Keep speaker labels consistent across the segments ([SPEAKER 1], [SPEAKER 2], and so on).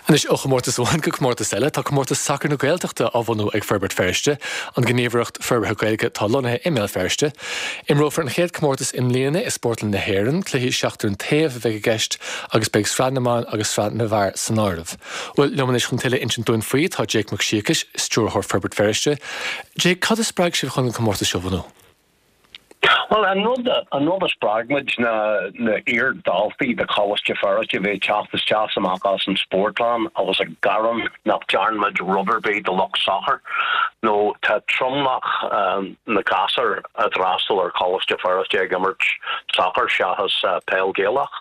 [SPEAKER 1] Anois, ó chomórtas amháin go comórtas eile, tá Comórtas Sacair na Gaeltachta á bhunú ag Forbairt Feirste, an ghníomhaireacht forbartha Gaeilge atá lonnaithe i mBéal Feirste. Imreofar an chéad chomórtas i mbliana i Spórtlann na hÉireann, cluichí seachtar an taobh a bheidh i gceist agus beidh sraith na mban agus sraith na bhfear san áireamh. Bhuel, liom anois chun tuilleadh a insint dúinn faoi tá Jake Mac Siacais, Stiúrthóir Forbairt Feirste. Jake, cad a spreag sibh chun an comórtas seo a bhunú?
[SPEAKER 2] Bhuel, an rud, an rud a spreag muid ná na iar-dhaltaí de Choláiste Feirste a bhí ag teacht isteach is amach as an spórtlann agus ag gearán nach dtearn muid rud ar bith do lucht sacair nó tá tromlach na gasúr a d'fhreastail ar Choláiste Feirste ag imirt sacair seachas peil Gaelach.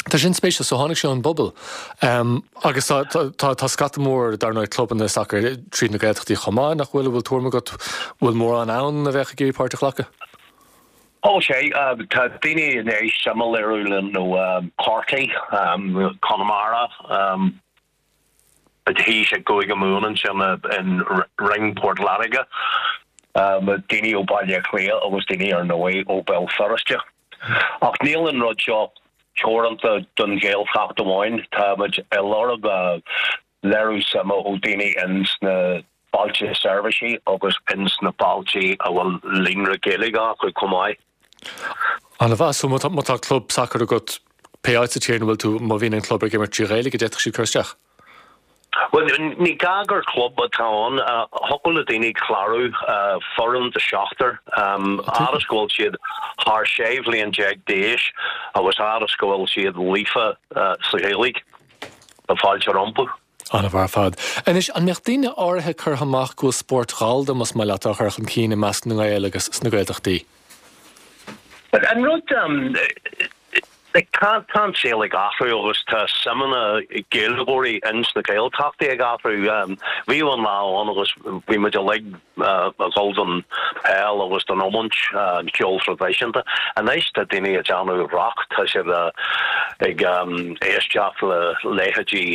[SPEAKER 1] Tá sin spéisiúil. So tháinig sé ón bpobal. Agus tá, tá, tá scata mór, dar ndóigh, clubanna sacair tríd na Gaeltachtaí chomh maith, nach bhfuil? An bhfuil tuairim agat, bhfuil mórán ann a bheadh ag iarraidh páirt a ghlacadh?
[SPEAKER 2] Ó sea, tá daoine i ndiaidh suim a léiriú linn ó Chorcaigh, Conamara, thíos i gCúige Mumhan ansin in Ring Port Láirge, daoine ó Bhaile Átha Cliath agus daoine ar ndóigh ó Bhéal Feirste. Ach níl an rud seo teoranta don Ghaeltacht amháin, tá muid ag lorg léiriú suime ó daoine ins na bailte seirbhísí agus ins na bailte a bhfuil líonra Gaeilge acu chomh maith.
[SPEAKER 1] An-mhaith. So má tá club sacair agat, pé áit sa tír ina bhfuil tú, má bhíonn an club ag imirt trí Ghaeilge, d'fhéadfadh siad cur isteach?
[SPEAKER 2] Bhuel, ní gá gur club atá ann. Thiocfadh le daoine clárú foireann de sheachtar, fhad is go bhfuil siad thar 16 bhliain d'aois agus fhad is go bhfuil siad líofa sa Ghaeilge. Tá fáilte rompu.
[SPEAKER 1] An-mhaith ar fad. Anois, an mbeadh daoine áirithe curtha amach go bhfuil spórt Ghallda, más maith leat, á chur chun cinn i measc na nGael agus sna Gaeltachtaí?
[SPEAKER 2] An rud, tá an saol ag athrú agus tá suimeanna Gaeilgeoirí ins na Gaeltachtaí ag athrú. Bhíodh an lá ann agus bhí muid uilig ag dul don peil agus don iomáint, an ceol traidisiúnta. Anois tá daoine ag déanamh rock, tá siad ag éisteacht le leithéidí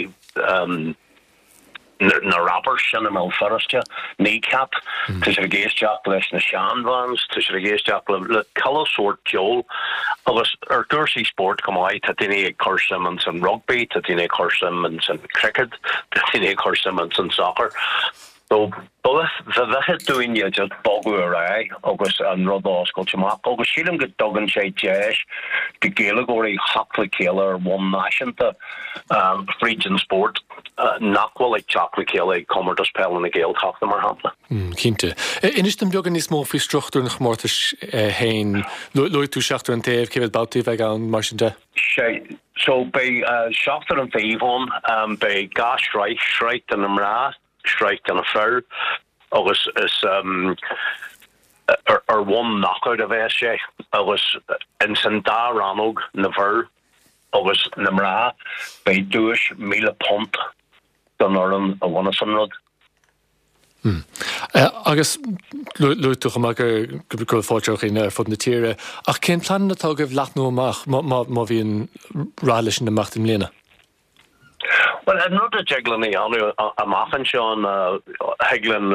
[SPEAKER 2] na rappers sin i mBéal Feirste, Kneecap, tá siad ag éisteacht leis na sean-bhands, tá siad ag éisteacht le chuile sórt ceoil agus ar chúrsaí spóirt chomh maith, tá daoine ag cur suim ins an rugbaí, tá daoine ag cur suim ins an cricket, tá daoine ag cur suim ins an soccer. So, ba mhithid dúinne just bogadh ar aghaidh agus an rud a oscailt amach agus sílim go dtugann sé deis do Ghaeilgeoirí theacht le chéile ar bhonn náisiúnta fríd an spórt nach bhfuil ag teacht le chéile ag Comórtas Peile na Gaeltachta, mar shampla.
[SPEAKER 1] Cinnte. Inis dom beagán níos mó faoi struchtúr an chomórtais féin. Luaigh tú seachtar an taobh, cé mhéad babhtaí a bheidh ann, mar sin de?
[SPEAKER 2] Sea, so beidh seachtar an taobh ann, beidh dhá shraith, sraith do na mná, sraith do na fir agus is ar bhonn knockout a bheas sé agus ins an dá rannóg, na bhfir agus na mná, beidh duais £1,000 don fhoireann a bhaineas an rud.
[SPEAKER 1] Agus luaigh tú chomh maith go bhfuil fáilte roimh dhaoine ar fud na tíre, ach cén pleananna atá agaibh leathnú amach má bhíonn rath leis an imeacht i mbliana?
[SPEAKER 2] Bhuel, an rud a dtig linn a dhéanamh amach anseo ná thig linn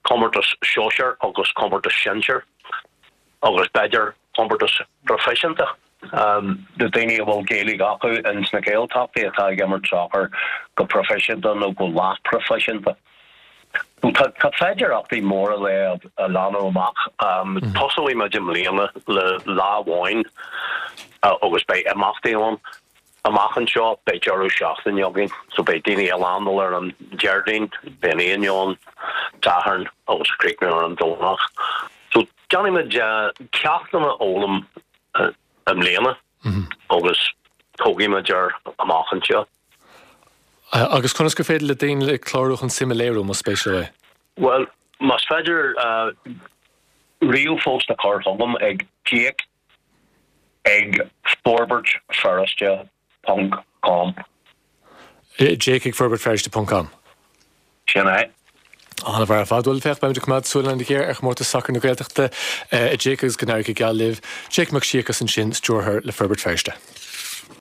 [SPEAKER 2] comórtas sóisear agus comórtas sinsir agus b'fhéidir comórtas proifisiúnta do daoine a bhfuil Gaeilge acu ins na Gaeltachtaí atá ag imirt sacair go proifisiúnta nó go leathphroifisiúnta. Tá tá féidearthachtaí móra le a leathnú amach. Tosóidh muid i mbliana le lá amháin agus beidh imeachtaí ann. Amach anseo, beidh deireadh seachtaine againn, so beidh daoine ag landáil ar an Déardaoin, beidh an Aoine ann, Satharn agus críochnú ar an Domhnach. So déanfaidh muid ceachtanna a fhoghlaim i mbliana agus tógfaidh muid air amach anseo.
[SPEAKER 1] Agus conas gur féidir le daoine clárú chun suim a léiriú, más spéis leo é?
[SPEAKER 2] Bhuel, más féidir ríomhphost a chur chugam ag Jake ag forbairtfeirste ponc com.
[SPEAKER 1] Jake ag forbairtfeirste ponc com.
[SPEAKER 2] Sin é.
[SPEAKER 1] An-mhaith ar fad. Bhuel, féach, beimid ag coimeád súil an-ghéar ar chomórtas sacair na Gaeltachta, a Jake, agus go n-éirí go geal libh. Jake Mac Siacais ansin, stiúrthóir le Forbairt Feirste.